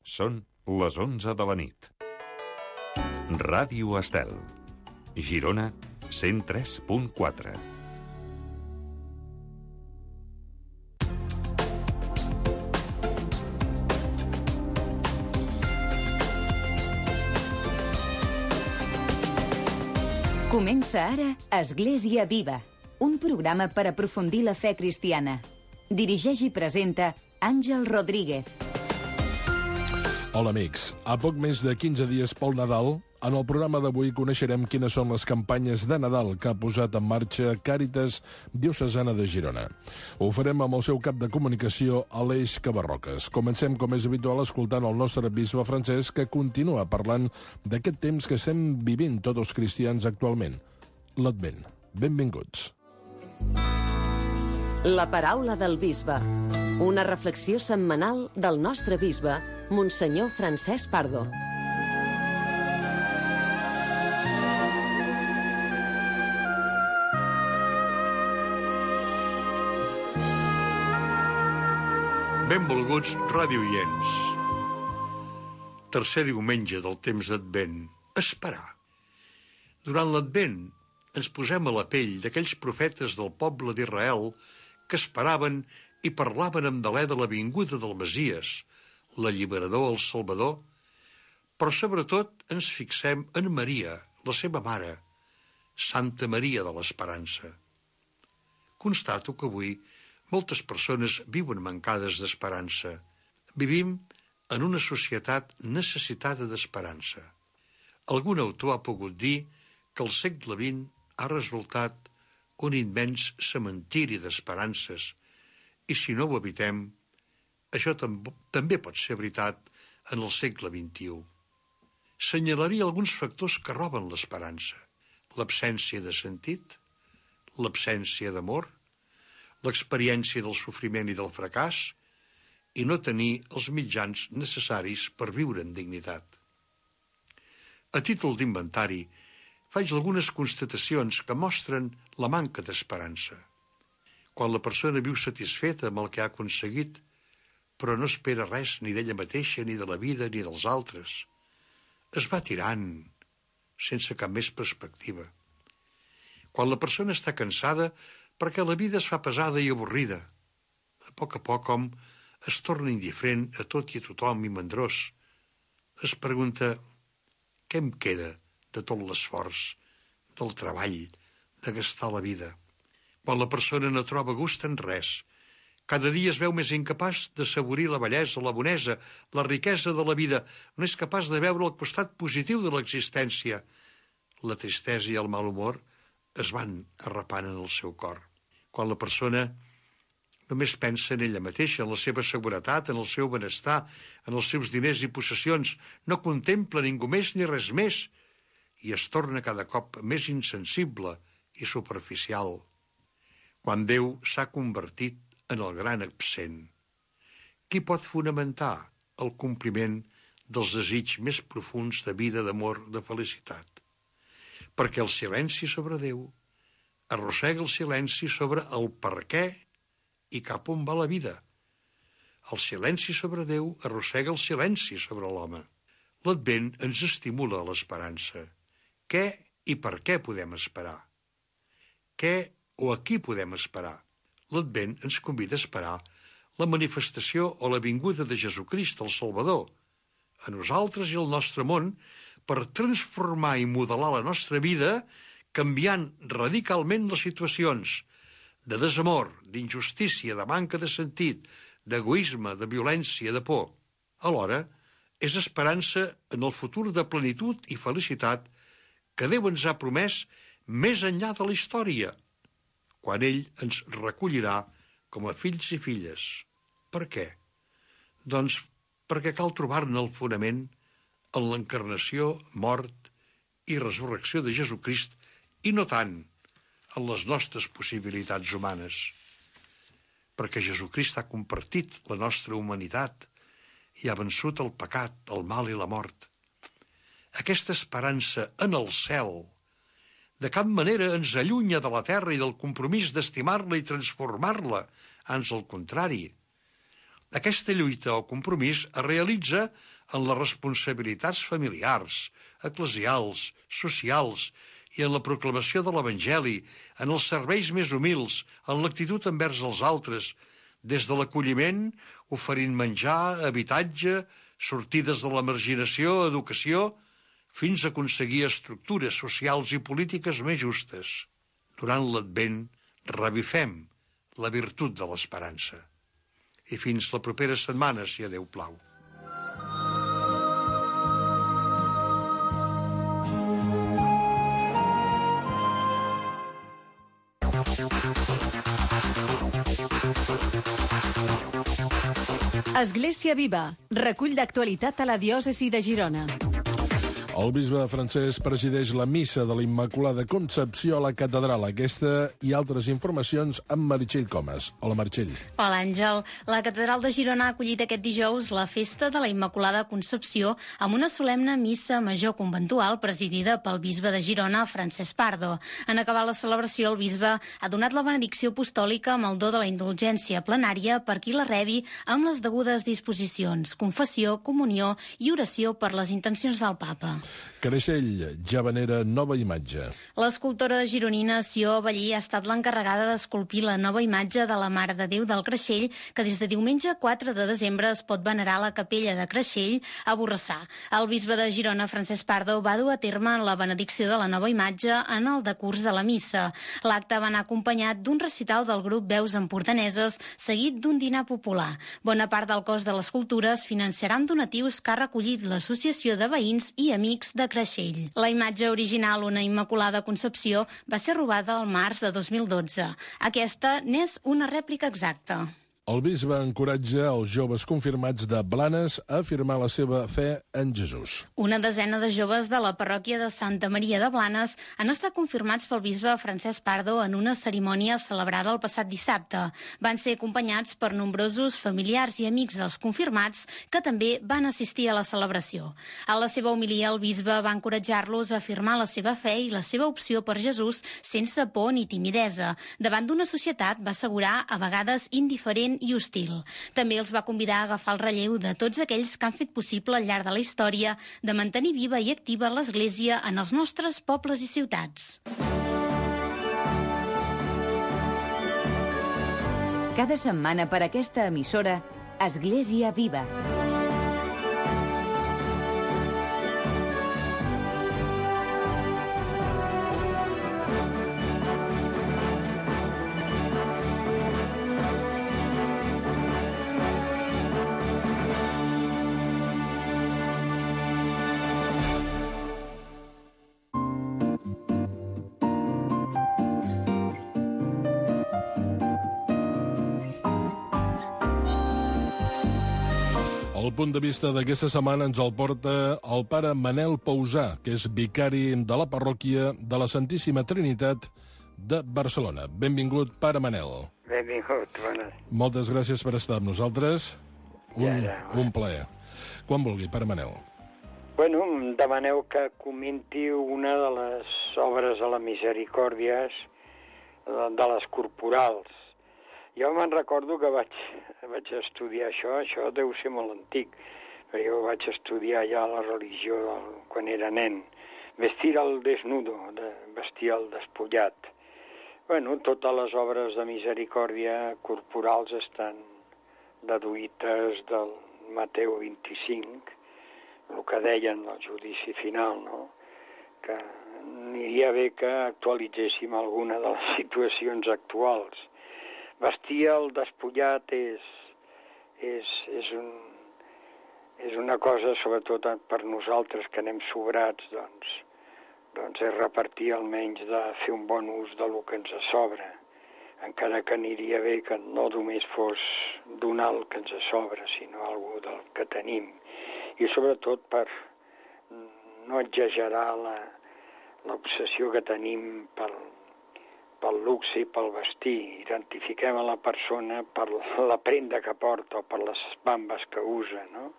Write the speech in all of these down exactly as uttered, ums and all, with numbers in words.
Són les onze de la nit. Ràdio Estel, Girona, cent tres punt quatre. Comença ara Església Viva, un programa per aprofundir la fe cristiana. Dirigeix i presenta Àngel Rodríguez. Hola, amics. A poc més de quinze dies pel Nadal, en el programa d'avui coneixerem quines són les campanyes de Nadal que ha posat en marxa Càritas Diocesana de Girona. Ho farem amb el seu cap de comunicació, Aleix Cabarroques. Comencem, com és habitual, escoltant el nostre bisbe Francesc, que continua parlant d'aquest temps que estem vivint tots els cristians actualment, l'Advent. Benvinguts. La paraula del bisbe. Una reflexió setmanal del nostre bisbe, Monsenyor Francesc Pardo. Benvolguts radioients. Tercer diumenge del temps d'Advent. Esperar. Durant l'Advent ens posem a la pell d'aquells profetes del poble d'Israel que esperaven i parlaven amb delè de la vinguda del Messies, l'alliberador, el Salvador, però sobretot ens fixem en Maria, la seva mare, Santa Maria de l'Esperança. Constato que avui moltes persones viuen mancades d'esperança. Vivim en una societat necessitada d'esperança. Algun autor ha pogut dir que el segle vint ha resultat un immens cementiri d'esperances, i si no ho evitem, això tam- també pot ser veritat en el segle vint-i-u. Senyalaria alguns factors que roben l'esperança: l'absència de sentit, l'absència d'amor, l'experiència del sofriment i del fracàs, i no tenir els mitjans necessaris per viure amb dignitat. A títol d'inventari, faig algunes constatacions que mostren la manca d'esperança. Quan la persona viu satisfeta amb el que ha aconseguit, però no espera res ni d'ella mateixa, ni de la vida, ni dels altres, es va tirant, sense cap més perspectiva. Quan la persona està cansada perquè la vida es fa pesada i avorrida, a poc a poc, com es torna indiferent a tot i a tothom i mandrós, es pregunta: què em queda de tot l'esforç, del treball, de gastar la vida? Quan la persona no troba gust en res, cada dia es veu més incapaç de saborir la bellesa, la bonesa, la riquesa de la vida, no és capaç de veure el costat positiu de l'existència. La tristesa i el mal humor es van arrapant en el seu cor. Quan la persona només pensa en ella mateixa, en la seva seguretat, en el seu benestar, en els seus diners i possessions, no contempla ningú més ni res més, i es torna cada cop més insensible i superficial. Quan Déu s'ha convertit en el gran absent, qui pot fonamentar el compliment dels desitjos més profuns de vida, d'amor, de felicitat? Perquè el silenci sobre Déu arrossega el silenci sobre el per què i cap on va la vida. El silenci sobre Déu arrossega el silenci sobre l'home. L'Advent ens estimula a l'esperança. Què i per què podem esperar? Què o a qui podem esperar? L'Advent ens convida a esperar la manifestació o la vinguda de Jesucrist, el Salvador, a nosaltres i al nostre món, per transformar i modelar la nostra vida, canviant radicalment les situacions de desamor, d'injustícia, de manca de sentit, d'egoisme, de violència, de por. Alhora, és esperança en el futur de plenitud i felicitat que Déu ens ha promès més enllà de la història, quan ell ens recollirà com a fills i filles. Per què? Doncs perquè cal trobar-ne el fonament en l'encarnació, mort i resurrecció de Jesucrist, i no tant en les nostres possibilitats humanes. Perquè Jesucrist ha compartit la nostra humanitat i ha vençut el pecat, el mal i la mort. Aquesta esperança en el cel de cap manera ens allunya de la terra i del compromís d'estimar-la i transformar-la, ans al contrari. Aquesta lluita o compromís es realitza en les responsabilitats familiars, eclesials, socials i en la proclamació de l'Evangeli, en els serveis més humils, en l'actitud envers els altres, des de l'acolliment, oferint menjar, habitatge, sortides de la marginació, educació, fins a aconseguir estructures socials i polítiques més justes. Durant l'Advent revifem la virtut de l'esperança. I fins la propera setmana, si a Déu plau. Església Viva, recull d'actualitat a la diòcesi de Girona. El bisbe Francesc presideix la missa de la Immaculada Concepció a la catedral. Aquesta i altres informacions amb Meritxell Comas. Hola, Meritxell. Hola, Àngel. La catedral de Girona ha acollit aquest dijous la festa de la Immaculada Concepció amb una solemne missa major conventual presidida pel bisbe de Girona, Francesc Pardo. En acabar la celebració, el bisbe ha donat la benedicció apostòlica amb el do de la indulgència plenària per qui la rebi amb les degudes disposicions, confessió, comunió i oració per les intencions del papa. Creixell ja venera nova imatge. L'escultora gironina Sió Ballí ha estat l'encarregada d'esculpir la nova imatge de la Mare de Déu del Creixell, que des de diumenge quatre de desembre es pot venerar a la capella de Creixell a Borrassà. El bisbe de Girona, Francesc Pardo, va dur a terme la benedicció de la nova imatge en el decurs de la missa. L'acte va anar acompanyat d'un recital del grup Veus Empordaneses, seguit d'un dinar popular. Bona part del cost de l'escultura es financiarà amb donatius que ha recollit l'Associació de Veïns i Amics de Creixell. La imatge original, una Immaculada Concepció, va ser robada al març de dos mil dotze. Aquesta n'és una rèplica exacta. El bisbe encoratja els joves confirmats de Blanes a afirmar la seva fe en Jesús. Una desena de joves de la parròquia de Santa Maria de Blanes han estat confirmats pel bisbe Francesc Pardo en una cerimònia celebrada el passat dissabte. Van ser acompanyats per nombrosos familiars i amics dels confirmats que també van assistir a la celebració. A la seva homilia, el bisbe va encoratjar-los a afirmar la seva fe i la seva opció per Jesús sense por ni timidesa. Davant d'una societat, va assegurar, a vegades indiferent i hostil. També els va convidar a agafar el relleu de tots aquells que han fet possible al llarg de la història de mantenir viva i activa l'Església en els nostres pobles i ciutats. Cada setmana per aquesta emissora, Església Viva. El punt de vista d'aquesta setmana ens el porta el pare Manel Pausà, que és vicari de la parròquia de la Santíssima Trinitat de Barcelona. Benvingut, pare Manel. Benvingut, bona. Moltes gràcies per estar amb nosaltres. Un, Ja, ja. un plaer. Quan vulgui, pare Manel. Bueno, em demaneu que comenti una de les obres de la Misericòrdia, de les corporals. Jo me'n recordo que vaig, vaig estudiar això, això deu ser molt antic, però jo vaig estudiar ja la religió del, quan era nen. Vestir al desnudo, de vestir al despullat. Bueno, totes les obres de misericòrdia corporals estan deduïtes del Mateu vint-i-cinc, el que deien al judici final, no? Que aniria bé que actualitzéssim alguna de les situacions actuals. Vestir el despullat és, és, és, un, és una cosa, sobretot per nosaltres que anem sobrats, doncs, doncs és repartir almenys de fer un bon ús del que ens sobra, encara que aniria bé que no només fos donar el que ens sobra, sinó algú del que tenim. I sobretot per no exagerar la, l'obsessió que tenim pel, pel luxe i pel vestir. Identifiquem a la persona per la prenda que porta o per les bambes que usa, no?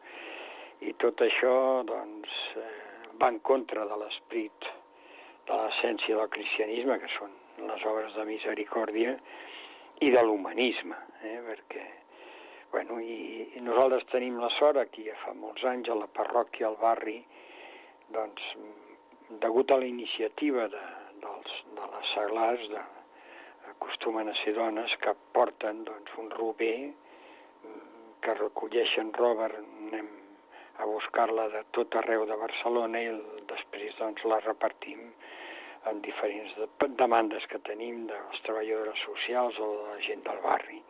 I tot això, doncs, eh, va en contra de l'esperit, de l'essència del cristianisme, que són les obres de misericòrdia, i de l'humanisme, eh? Perquè, bueno, i, i nosaltres tenim la sort aquí, fa molts anys, a la parròquia, al barri, doncs, degut a la iniciativa de, dels, de les seglars, de, acostumen a ser dones que porten doncs, un rober, que recolleixen roba, anem a buscar-la de tot arreu de Barcelona i després doncs, la repartim en diferents demandes que tenim de les treballadores socials o de la gent del barri.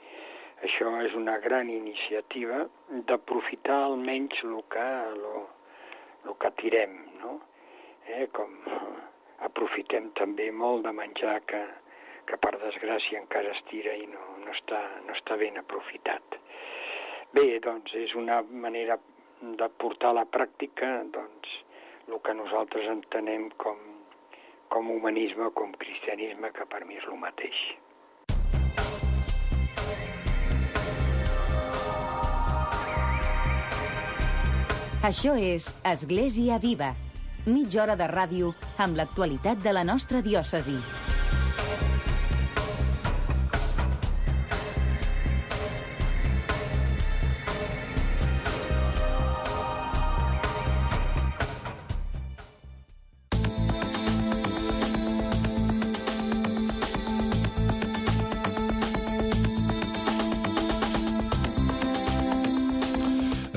Això és una gran iniciativa d'aprofitar almenys el que, lo, lo que tirem, no? Eh, com aprofitem també molt de menjar que, que per desgràcia encara es tira i no, no, està, no està ben aprofitat. Bé, doncs és una manera de portar a la pràctica doncs, el que nosaltres entenem com, com humanisme, com cristianisme, que per mi és el mateix. Això és Església Viva, mitja hora de ràdio amb l'actualitat de la nostra diòcesi.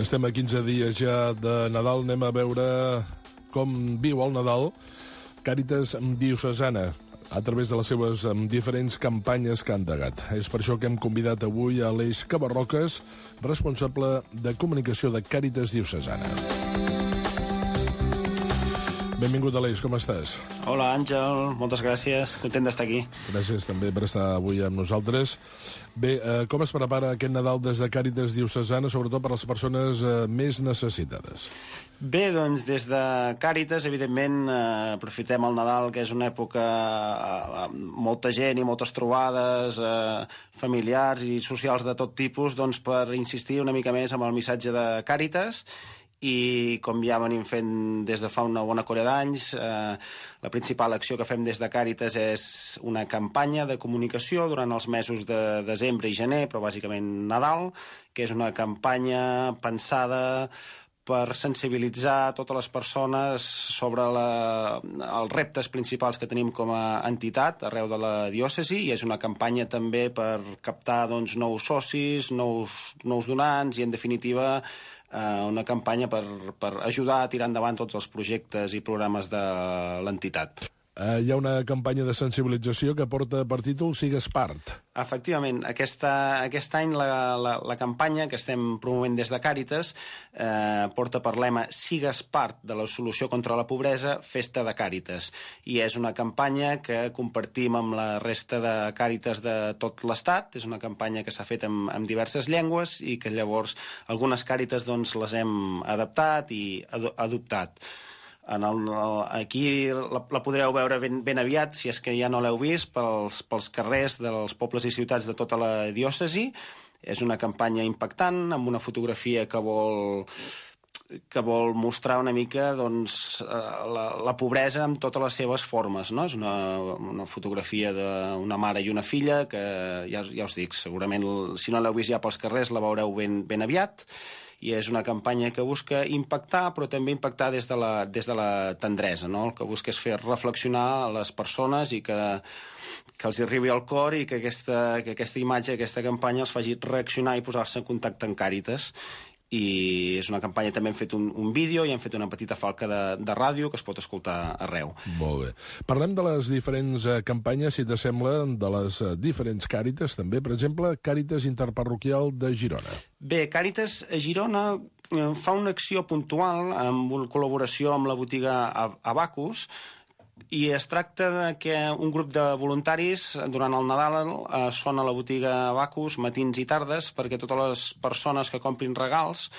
Estem a quinze dies ja de Nadal. Anem a veure com viu el Nadal Càritas Diocesana a través de les seves diferents campanyes que han endegat. És per això que hem convidat avui a Aleix Cabarroques, responsable de comunicació de Càritas Diocesana. Benvingut, Aleix, com estàs? Hola, Àngel, moltes gràcies, content d'estar aquí. Gràcies també per estar avui amb nosaltres. Bé, eh, com es prepara aquest Nadal des de Càritas Diocesana, sobretot per a les persones eh, més necessitades? Bé, doncs des de Càritas, evidentment, eh, aprofitem el Nadal, que és una època eh, amb molta gent i moltes trobades eh, familiars i socials de tot tipus, doncs per insistir una mica més amb el missatge de Càritas. I com ja venim fent des de fa una bona colla d'anys, eh, la principal acció que fem des de Càritas és una campanya de comunicació durant els mesos de desembre i gener, però bàsicament Nadal, que és una campanya pensada per sensibilitzar totes les persones sobre la, els reptes principals que tenim com a entitat arreu de la diòcesi, i és una campanya també per captar doncs, nous socis, nous, nous donants i, en definitiva, eh, una campanya per, per ajudar a tirar endavant tots els projectes i programes de l'entitat. Eh, hi ha una campanya de sensibilització que porta per títol Sigues part. Efectivament, aquesta, aquest any la, la, la campanya que estem promovent des de Càritas eh, porta per lema Sigues part de la solució contra la pobresa, festa de Càritas. I és una campanya que compartim amb la resta de Càritas de tot l'Estat. És una campanya que s'ha fet amb, amb diverses llengües i que llavors algunes Càritas doncs, les hem adaptat i ad, adoptat. En el, aquí la, la podreu veure ben, ben aviat, si és que ja no l'heu vist, pels, pels carrers dels pobles i ciutats de tota la diòcesi. És una campanya impactant, amb una fotografia que vol, que vol mostrar una mica doncs, la, la pobresa en totes les seves formes. No? És una, una fotografia d'una mare i una filla que, ja, ja us dic, segurament si no l'heu vist ja pels carrers la veureu ben, ben aviat. I és una campanya que busca impactar, però també impactar des de la, des de la tendresa, no? El que busca és fer reflexionar a les persones i que, que els arribi al cor i que aquesta, que aquesta imatge, aquesta campanya els faci reaccionar i posar-se en contacte amb Càritas. I és una campanya, també hem fet un, un vídeo i hem fet una petita falca de, de ràdio que es pot escoltar arreu. Molt bé. Parlem de les diferents eh, campanyes, si t'assembla, de les eh, diferents Càritas, també. Per exemple, Càritas Interparroquial de Girona. Bé, Càritas a Girona eh, fa una acció puntual amb una col·laboració amb la botiga Abacus, i es tracta de que un grup de voluntaris durant el Nadal eh, són a la botiga Abacus matins i tardes perquè totes les persones que comprin regals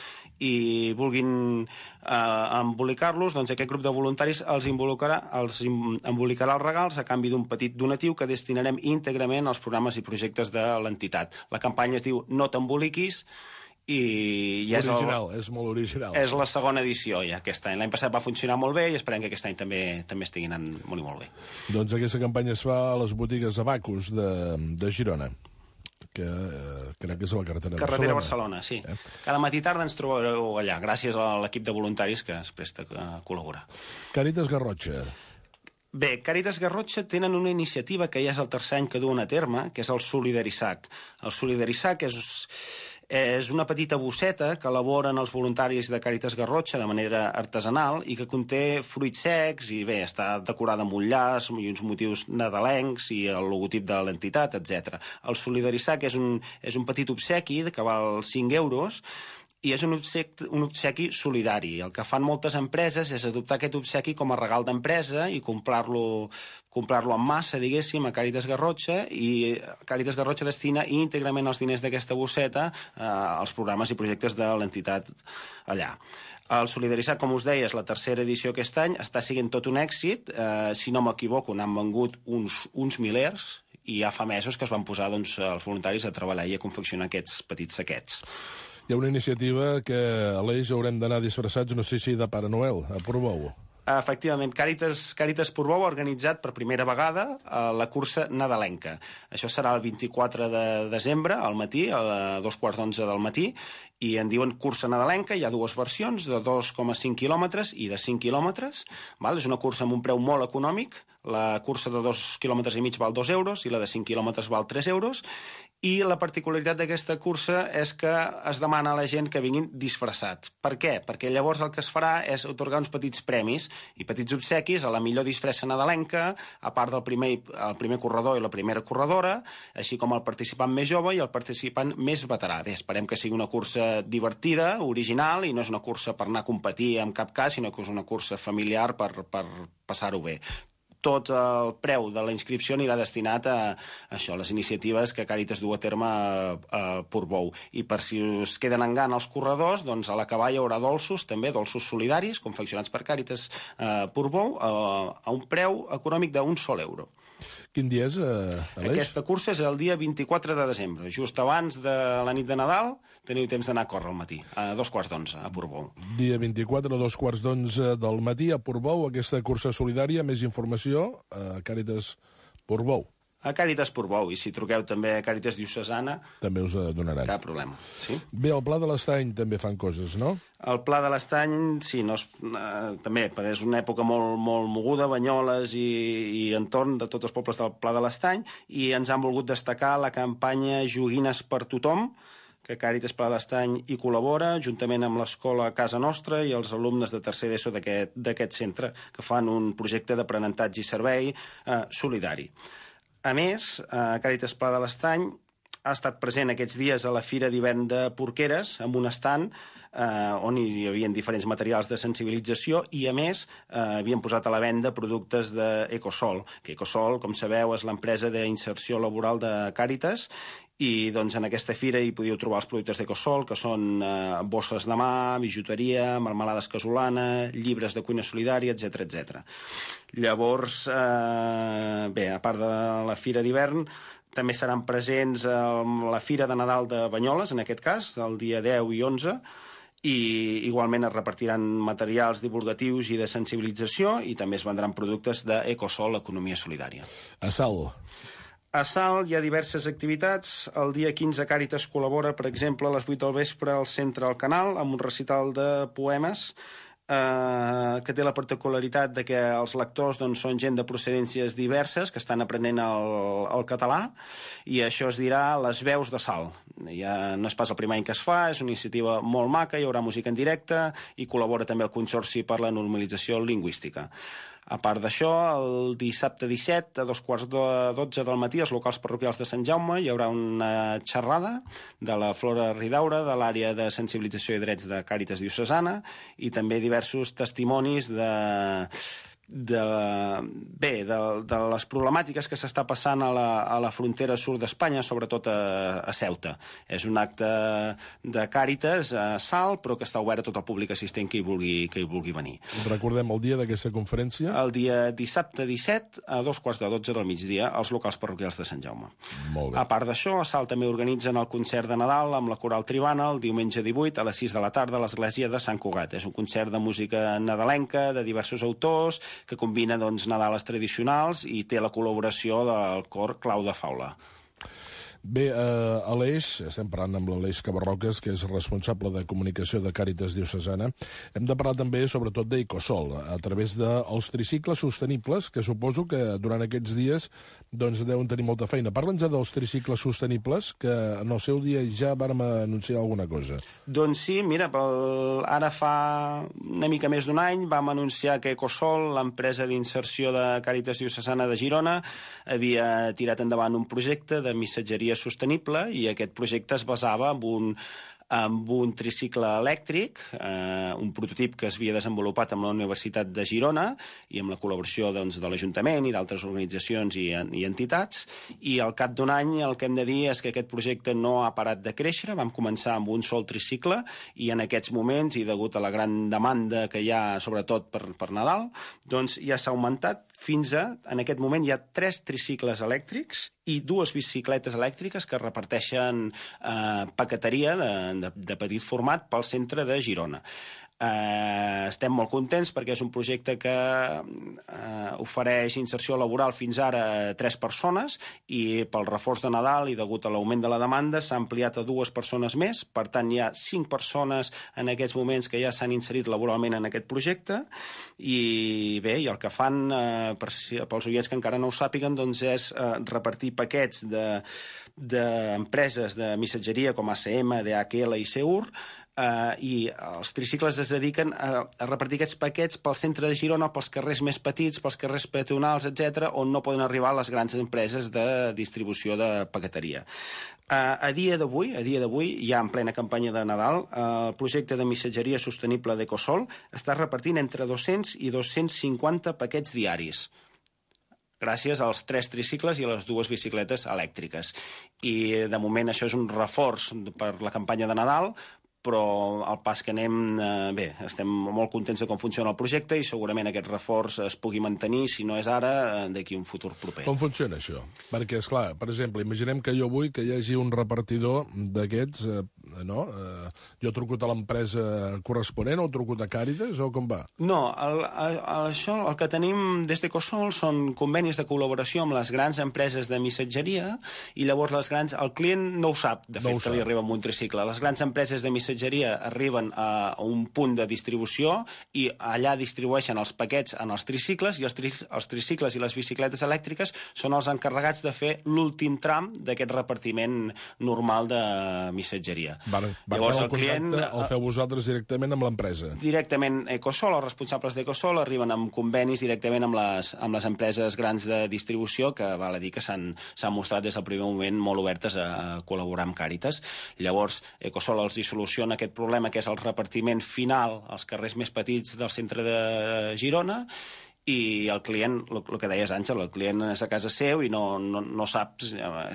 i vulguin eh, embolicar-los, doncs aquest grup de voluntaris els embolicarà, els embolicarà els regals a canvi d'un petit donatiu que destinarem íntegrament als programes i projectes de l'entitat. La campanya es diu No t'emboliquis, i ja és, original, el, és molt original. És la segona edició ja aquest any. L'any passat va funcionar molt bé i esperem que aquest any també també estigui anant molt i molt bé. Doncs aquesta campanya es fa a les botigues Abacus de, de Girona. que eh, crec que és a la carretera de Carretera Barcelona. Barcelona, sí. Eh? Cada matí i tarda ens trobareu allà, gràcies a l'equip de voluntaris que es presta a col·laborar. Càritas Garrotxa. Bé, Càritas Garrotxa tenen una iniciativa que ja és el tercer any que duen a terme, que és el Solidarissac. El Solidarissac és, és una petita bosseta que elaboren els voluntaris de Càritas Garrotxa de manera artesanal i que conté fruits secs i, bé, està decorada amb un llaç i uns motius nadalencs i el logotip de l'entitat, etcètera. El Solidarissac és un, és un petit obsequi que val cinc euros i és un obsequi, un obsequi solidari. El que fan moltes empreses és adoptar aquest obsequi com a regal d'empresa i comprar-lo comprar-lo en massa, diguéssim, a Càritas Garrotxa, i Càritas Garrotxa destina íntegrament els diners d'aquesta bosseta eh, als programes i projectes de l'entitat allà. El Solidarissac, com us deia, és la tercera edició aquest any, està sent tot un èxit. Eh, si no m'equivoco, n'han vengut uns, uns milers, i ja fa mesos que es van posar doncs, els voluntaris a treballar i a confeccionar aquests petits saquets. Hi ha una iniciativa que, Aleix, haurem d'anar disfressats, no sé si de Pare Noel, a Portbou. Efectivament, Càritas, Càritas Portbou ha organitzat per primera vegada eh, la cursa nadalenca. Això serà el vint-i-quatre de desembre, al matí, a dos quarts d'onze del matí, i en diuen cursa nadalenca. Hi ha dues versions, de dos coma cinc quilòmetres i de cinc quilòmetres. Val? És una cursa amb un preu molt econòmic. La cursa de dos quilòmetres i mig val dos euros i la de cinc quilòmetres val tres euros. I la particularitat d'aquesta cursa és que es demana a la gent que vinguin disfressats. Per què? Perquè llavors el que es farà és atorgar uns petits premis i petits obsequis a la millor disfressa nadalenca, a part del primer, el primer corredor i la primera corredora, així com el participant més jove i el participant més veterà. Bé, esperem que sigui una cursa divertida, original, i no és una cursa per anar a competir en cap cas, sinó que és una cursa familiar per, per passar-ho bé. Tot el preu de la inscripció anirà destinat a això, les iniciatives que Càritas du a terme a, a Portbou. I per si us queden en gana els corredors, doncs a l'acabar hi haurà dolços, també dolços solidaris, confeccionats per Càritas a Portbou, a, a un preu econòmic d'un sol euro. Quin dia és, eh, Aleix? Aquesta cursa és el dia vint-i-quatre de desembre, just abans de la nit de Nadal. Teniu temps d'anar a córrer al matí, a dos quarts d'onze, a Portbou. Dia vint-i-quatre, a dos quarts d'onze del matí, a Portbou, aquesta cursa solidària. Més informació a Càritas Portbou. A Càritas Portbou, i si truqueu també a Càritas Diocesana... També us donaran. Cap problema, sí. Bé, al Pla de l'Estany també fan coses, no? El Pla de l'Estany, sí, no és, eh, també, és una època molt, molt moguda, Banyoles i, i entorn de tots els pobles del Pla de l'Estany, i ens han volgut destacar la campanya Joguines per tothom, que Càritas Pla de l'Estany hi col·labora, juntament amb l'escola Casa Nostra i els alumnes de tercer d'ESO d'aquest centre, que fan un projecte d'aprenentatge i servei eh, solidari. A més, eh, Càritas Pla de l'Estany ha estat present aquests dies a la Fira d'Hivern de Porqueres, amb un estand eh, on hi havia diferents materials de sensibilització i, a més, eh, havien posat a la venda productes d'Ecosol, que Ecosol, com sabeu, és l'empresa d'inserció laboral de Càritas, i doncs, en aquesta fira hi podíeu trobar els productes d'Ecosol, que són eh, bosses de mà, bijuteria, marmelades casolana, llibres de cuina solidària, etcètera, etcètera. Llavors, eh, bé, a part de la fira d'hivern, també seran presents a la Fira de Nadal de Banyoles, en aquest cas, el dia deu i onze, i igualment es repartiran materials divulgatius i de sensibilització, i també es vendran productes d'Ecosol, Economia Solidària. A Salt. A Salt hi ha diverses activitats. El dia quinze Càritas col·labora, per exemple, a les vuit del vespre al Centre al Canal, amb un recital de poemes eh, que té la particularitat de que els lectors doncs, són gent de procedències diverses que estan aprenent el, el català, i això es dirà Les veus de Salt. Ja no és pas el primer any que es fa, és una iniciativa molt maca, hi haurà música en directe i col·labora també el Consorci per la Normalització Lingüística. A part d'això, el dissabte disset, a dos quarts de dotze del matí, als locals parroquials de Sant Jaume, hi haurà una xerrada de la Flora Ridaura, de l'àrea de sensibilització i drets de Càritas Diocesana, i també diversos testimonis de... de, bé, de, de les problemàtiques que s'està passant a la, a la frontera sud d'Espanya, sobretot a, a Ceuta. És un acte de Càritas a Salt, però que està obert a tot el públic assistent que hi vulgui, que hi vulgui venir. Recordem el dia d'aquesta conferència? El dia dissabte disset, a dos quarts de dotze del migdia, als locals parroquials de Sant Jaume. Molt bé. A part d'això, a Salt també organitzen el concert de Nadal amb la Coral Tribana el diumenge divuit a les sis de la tarda a l'església de Sant Cugat. És un concert de música nadalenca de diversos autors que combina doncs, Nadales tradicionals i té la col·laboració del cor Clau de Faula. Bé, eh, Aleix, estem parlant amb l'Aleix Cabarroques, que és responsable de comunicació de Càritas Diocesana. Hem de parlar també, sobretot, d'Ecosol, a través dels tricicles sostenibles, que suposo que durant aquests dies doncs, deuen tenir molta feina. Parla'ns dels tricicles sostenibles, que en el seu dia ja vàrem anunciar alguna cosa. Doncs sí, mira, pel... ara fa una mica més d'un any vam anunciar que Ecosol, l'empresa d'inserció de Càritas Diocesana de Girona, havia tirat endavant un projecte de missatgeria sostenible i aquest projecte es basava en un, amb un tricicle elèctric, eh, un prototip que es havia desenvolupat amb la Universitat de Girona i amb la col·laboració doncs, de l'Ajuntament i d'altres organitzacions i, i entitats, i al cap d'un any el que hem de dir és que aquest projecte no ha parat de créixer. Vam començar amb un sol tricicle i en aquests moments, i degut a la gran demanda que hi ha sobretot per, per Nadal, doncs ja s'ha augmentat fins a, en aquest moment hi ha tres tricicles elèctrics i dues bicicletes elèctriques que reparteixen eh, paqueteria de, de, de petit format pel centre de Girona. Eh, estem molt contents perquè és un projecte que eh, ofereix inserció laboral fins ara a tres persones i pel reforç de Nadal i degut a l'augment de la demanda s'ha ampliat a dues persones més. Per tant, hi ha cinc persones en aquests moments que ja s'han inserit laboralment en aquest projecte i bé, i el que fan eh, per, pels oients que encara no ho sàpiguen doncs és eh, repartir paquets de d'empreses de missatgeria com A C M, D H L i Seur, Uh, i els tricicles es dediquen a, a repartir aquests paquets pel centre de Girona, pels carrers més petits, pels carrers peatonals, etcètera, on no poden arribar les grans empreses de distribució de paqueteria. Uh, a dia d'avui, a dia d'avui, ja en plena campanya de Nadal, uh, el projecte de missatgeria sostenible d'Ecosol està repartint entre dos-cents i dos-cents cinquanta paquets diaris, gràcies als tres tricicles i a les dues bicicletes elèctriques. I de moment això és un reforç per la campanya de Nadal, però al pas que anem, eh, bé, estem molt contents de com funciona el projecte i segurament aquest reforç es pugui mantenir, si no és ara, eh, d'aquí un futur proper. Com funciona això? Perquè, esclar, per exemple, imaginem que jo vull que hi hagi un repartidor d'aquests, eh, no? Eh, jo truco a l'empresa corresponent o truco a Càritas o com va? No, el, el, això, el que tenim des d'Ecosol són convenis de col·laboració amb les grans empreses de missatgeria i llavors les grans, el client no ho sap, de fet, no que li arriba amb un tricicle. Les grans empreses de missatgeria arriben a un punt de distribució i allà distribueixen els paquets en els tricicles i els, tri els tricicles i les bicicletes elèctriques són els encarregats de fer l'últim tram d'aquest repartiment normal de missatgeria. Vale, Llavors el, el client... El feu vosaltres directament amb l'empresa? Directament Ecosol, els responsables d'Ecosol arriben amb convenis directament amb les, amb les empreses grans de distribució que val a dir que s'han mostrat des del primer moment molt obertes a, a col·laborar amb Càritas. Llavors Ecosol els hi soluciona aquest problema que és el repartiment final als carrers més petits del centre de Girona i el client, el que deies Àngel, el client és a casa seu i no, no, no sap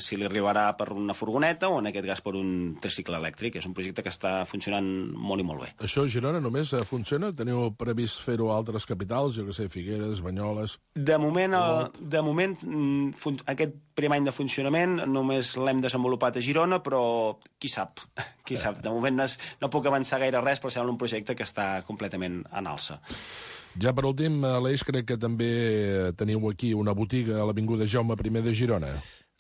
si li arribarà per una furgoneta o en aquest cas per un tricicle elèctric. És un projecte que està funcionant molt i molt bé. Això a Girona només funciona? Teniu previst fer-ho a altres capitals, jo que sé, Figueres, Banyoles... De moment, el, de moment aquest primer any de funcionament només l'hem desenvolupat a Girona, però qui sap, qui sap. De moment no, no puc avançar gaire res, però sembla un projecte que està completament en alça. Ja per últim, Aleix, crec que també teniu aquí una botiga a l'Avinguda Jaume primer de Girona.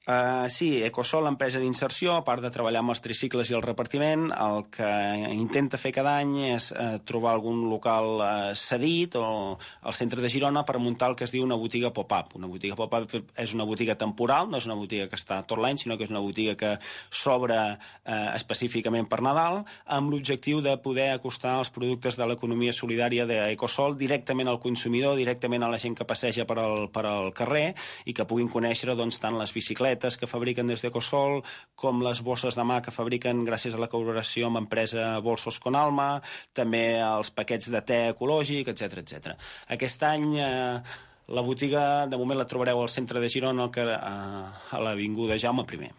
Uh, sí, Ecosol, l'empresa d'inserció, a part de treballar amb els tricicles i el repartiment, el que intenta fer cada any és uh, trobar algun local uh, cedit o al centre de Girona per muntar el que es diu una botiga pop-up. Una botiga pop-up és una botiga temporal, no és una botiga que està tot l'any, sinó que és una botiga que s'obre uh, específicament per Nadal, amb l'objectiu de poder acostar els productes de l'economia solidària d'Ecosol directament al consumidor, directament a la gent que passeja per al, per al carrer i que puguin conèixer doncs, tant les bicicletes que fabriquen des d'Ecosol, com les bosses de mà que fabriquen gràcies a la col·laboració amb l'empresa Bolsos con Alma, també els paquets de te ecològic, etcètera, etcètera. Aquest any eh, la botiga, de moment la trobareu al centre de Girona, a l'Avinguda Jaume primer.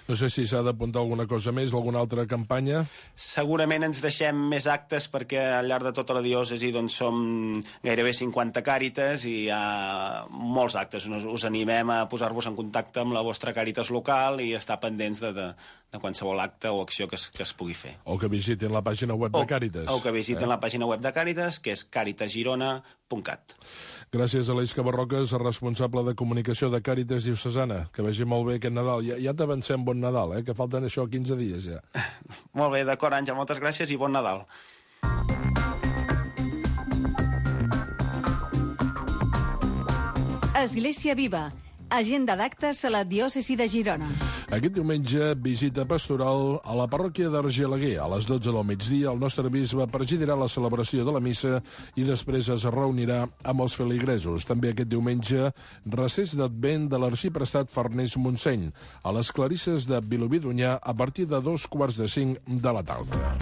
No sé si s'ha d'apuntar alguna cosa més, alguna altra campanya. Segurament ens deixem més actes perquè al llarg de tota la diòcesi doncs, som gairebé cinquanta càritas i hi ha molts actes. Us, us animem a posar-vos en contacte amb la vostra càritas local i estar pendents de, de, de qualsevol acte o acció que es, que es pugui fer. O que visitin la pàgina web o, de Càritas. O que visiten eh? la pàgina web de Càritas, que és càritas girona punt cat. Gràcies a l'Eix Cabarroques, responsable de comunicació de Càritas Diocesana. Que vagi molt bé aquest Nadal. Ja, ja t'avancem bon Nadal, eh? Que falten això quinze dies ja. Molt bé, d'acord, Àngel, moltes gràcies i bon Nadal. Església Viva. Agenda d'actes a la diòcesi de Girona. Aquest diumenge, visita pastoral a la parròquia d'Argelaguer. A les dotze del migdia, el nostre bisbe presidirà la celebració de la missa i després es reunirà amb els feligresos. També aquest diumenge, recés d'Advent de l'arxiprestat Farners Montseny, a les Clarisses de Vilobí d'Onyar, a partir de dos quarts de cinc de la tarda.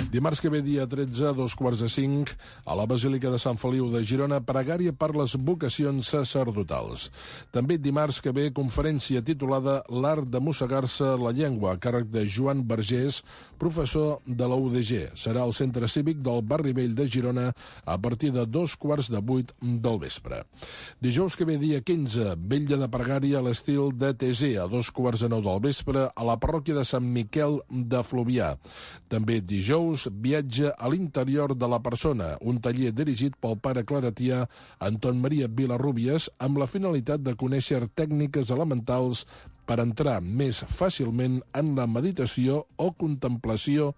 Dimarts que ve, dia tretze, a dos quarts de cinc, a la Basílica de Sant Feliu de Girona, pregària per les vocacions sacerdotals. També dimarts que ve, conferència titulada L'art de mossegar-se la llengua, a càrrec de Joan Vergés, professor de la U D G. Serà al Centre Cívic del Barri Vell de Girona a partir de dos quarts de vuit del vespre. Dijous que ve, dia quinze, vetlla de pregària a l'estil de Tesé, a dos quarts de nou del vespre, a la parròquia de Sant Miquel de Fluvià. També dijous, viatge a l'interior de la persona, un taller dirigit pel pare claretià Anton Maria Vilarrubias amb la finalitat de conèixer tècniques elementals per entrar més fàcilment en la meditació o contemplació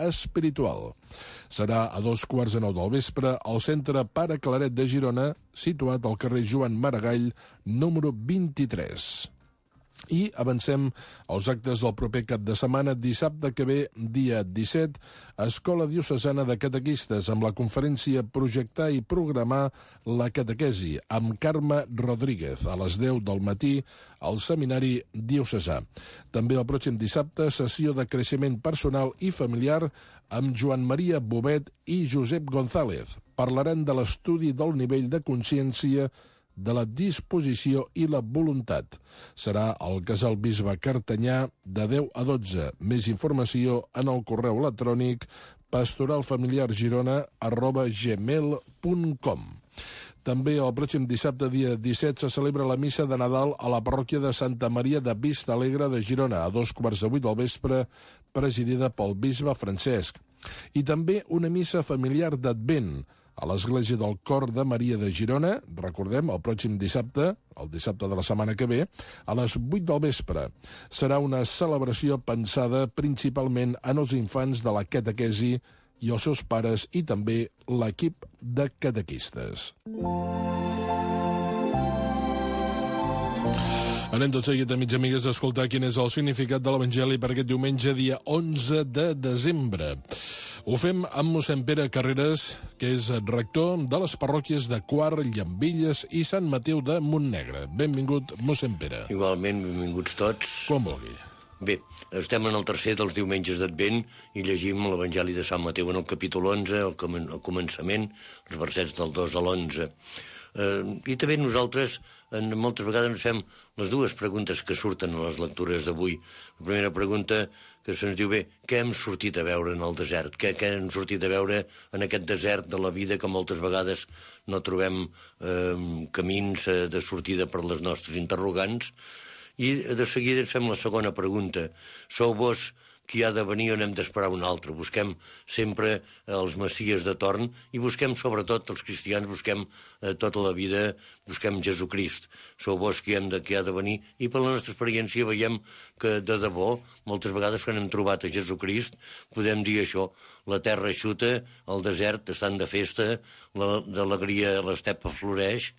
espiritual. Serà a dos quarts de nou del vespre al Centre Pare Claret de Girona, situat al carrer Joan Maragall, número vint-i-tres. I avancem als actes del proper cap de setmana. Dissabte que ve, dia disset, Escola Diocesana de Catequistes, amb la conferència Projectar i Programar la Catequesi, amb Carme Rodríguez, a les deu del matí, al Seminari Diocesà. També el pròxim dissabte, sessió de creixement personal i familiar amb Joan Maria Bobet i Josep González. Parlaran de l'estudi del nivell de consciència, de la disposició i la voluntat. Serà al Casal Bisbe Cartanyà de deu a dotze. Més informació en el correu electrònic pastoralfamiliargirona arroba gmail punt com. També el pròxim dissabte, dia disset, se celebra la missa de Nadal a la parròquia de Santa Maria de Vista Alegre de Girona, a dos quarts de vuit del vespre, presidida pel bisbe Francesc. I també una missa familiar d'Advent a l'Església del Cor de Maria de Girona, recordem, el pròxim dissabte, el dissabte de la setmana que ve, a les vuit del vespre. Serà una celebració pensada principalment en els infants de la catequesi i els seus pares i també l'equip de catequistes. Anem tot seguit, amics i amigues, a escoltar quin és el significat de l'Evangeli per aquest diumenge, dia onze de desembre. Ho fem amb mossèn Pere Carreras, que és rector de les parròquies de Quart, Llambilles i Sant Mateu de Montnegre. Benvingut, mossèn Pere. Igualment, benvinguts tots. Com vulgui. Bé, estem en el tercer dels diumenges d'Advent i llegim l'Evangeli de Sant Mateu en el capítol onze, al començament, els versets del dos a l'onze. Eh, I també nosaltres en, moltes vegades ens fem les dues preguntes que surten a les lectures d'avui. La primera pregunta que se'ns diu, bé, què hem sortit a veure en el desert? Què, què hem sortit a veure en aquest desert de la vida que moltes vegades no trobem eh, camins eh, de sortida per les nostres interrogants? I de seguida ens fem la segona pregunta. Sou vos qui ha de venir o n'hem d'esperar un altre? Busquem sempre els messies de torn i busquem, sobretot, els cristians, busquem eh, tota la vida, busquem Jesucrist. Sou vos qui, hem de, qui ha de venir i per la nostra experiència veiem que, de debò, moltes vegades quan hem trobat a Jesucrist, podem dir això, la terra eixuta, el desert estan de festa, l'alegria a l'estepa floreix,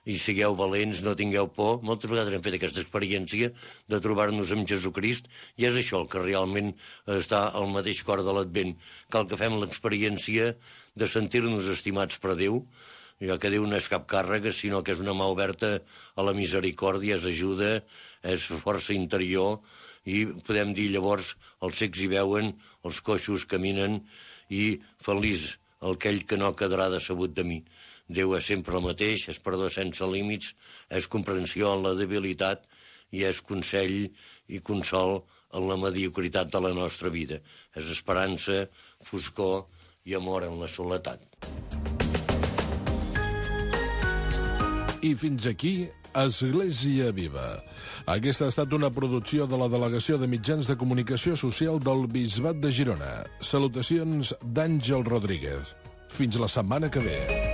i sigueu valents, no tingueu por. Moltes vegades hem fet aquesta experiència de trobar-nos amb Jesucrist i és això el que realment està al mateix cor de l'Advent. Cal que fem l'experiència de sentir-nos estimats per Déu, ja que Déu no és cap càrrega, sinó que és una mà oberta a la misericòrdia, és ajuda, és força interior, i podem dir llavors els cecs hi veuen, els coixos caminen, i feliç aquell que no quedarà decebut de mi. Déu és sempre el mateix, és perdó sense límits, és comprensió en la debilitat i és consell i consol en la mediocritat de la nostra vida. És esperança, foscor i amor en la soledat. I fins aquí Església Viva. Aquesta ha estat una producció de la Delegació de Mitjans de Comunicació Social del Bisbat de Girona. Salutacions d'Àngel Rodríguez. Fins la setmana que ve.